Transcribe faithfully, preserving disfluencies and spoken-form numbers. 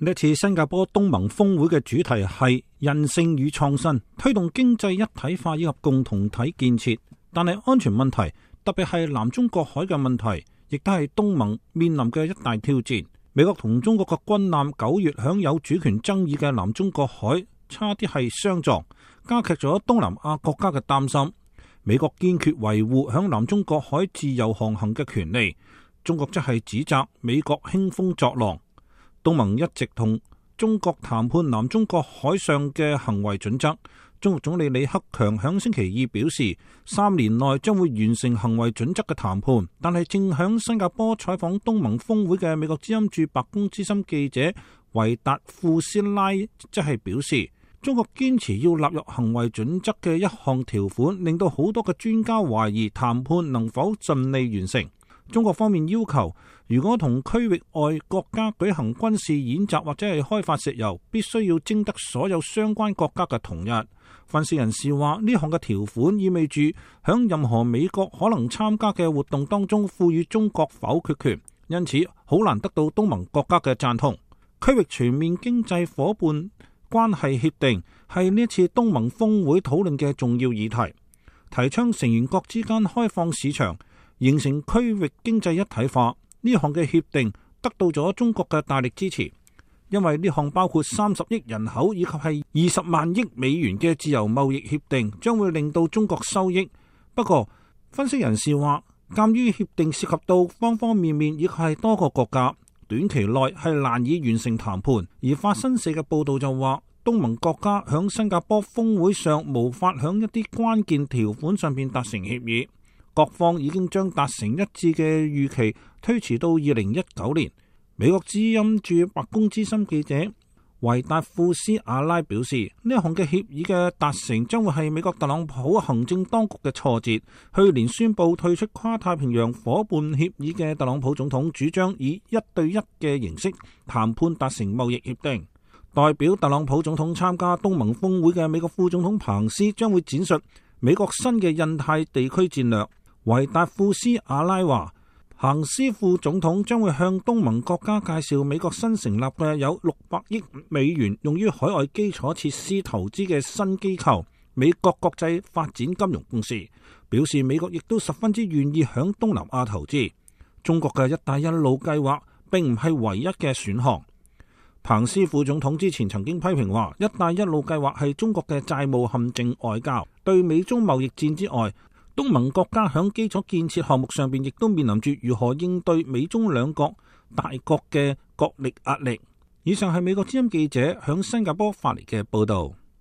呢次新加坡東盟峰會嘅主題係韌性與創新，推動經濟一體化以及共同體建設。但係安全問題，特別係南中國海嘅問題，亦都係東盟面臨嘅一大挑戰。美國同中國嘅軍艦九月響有主權爭議嘅南中國海差啲係相撞，加劇咗東南亞國家嘅擔心。美國堅決維護響南中國海自由航行嘅權利，中國則係指責美國興風作浪。東盟一直同中國談判南中國海上嘅行為準則。中國總理李克強響星期二表示，三年內將會完成行為準則嘅談判。但係正響新加坡採訪東盟峰會嘅美國之音駐白宮資深記者維達富斯拉則係表示，中國堅持要納入行為準則嘅一項條款，令到好多嘅專家懷疑談判能否順利完成。中國方面要求，如果同區域外國家舉行軍事演習或者係開發石油，必須要徵得所有相關國家嘅同意。分析人士話，呢項嘅條款意味住響任何美國可能參加嘅活動當中賦予中國否決權，因此好難得到東盟國家嘅贊同。區域全面經濟夥伴關係協定係呢一次東盟峰會討論嘅重要議題，提倡成員國之間開放市場，形成區域經濟一體化。呢項嘅協定得到咗中國嘅大力支持，因為呢項包括三十億人口以及係二十萬億美元嘅自由貿易協定，將會令到中國收益。不過，分析人士話，鑒於協定涉及到方方面面，亦係多個國家，短期內係難以完成談判。而法新社嘅報道就話，東盟國家響新加坡峰會上無法響一啲關鍵條款上面達成協議。各方已經將達成一致嘅預期推遲到二零一九年。美國之音駐白宮資深記者維達富斯阿拉表示，呢一項嘅協議嘅達成將會係美國特朗普行政當局嘅挫折。去年宣布退出跨太平洋夥伴協議嘅特朗普總統主張以一對一嘅形式談判達成貿易協定。代表特朗普總統參加東盟峰會嘅美國副總統彭斯將會展述美國新嘅印太地區戰略。維達富斯阿拉話，彭斯副總統將會向東盟國家介紹美國新成立嘅有六百億美元用於海外基礎設施投資嘅新機構美國國際發展金融公司，表示美國亦都十分之願意響東南亞投資。中國嘅一帶一路計劃並唔係唯一嘅選項。彭斯副總統之前曾經批評話，一帶一路計劃係中國嘅債務陷阱外交。對美中貿易戰之外，東盟國家響基礎建設項目上邊亦都面臨住如何應對美中兩國大國嘅角力壓力。以上係美國之音記者響新加坡發嚟嘅報道。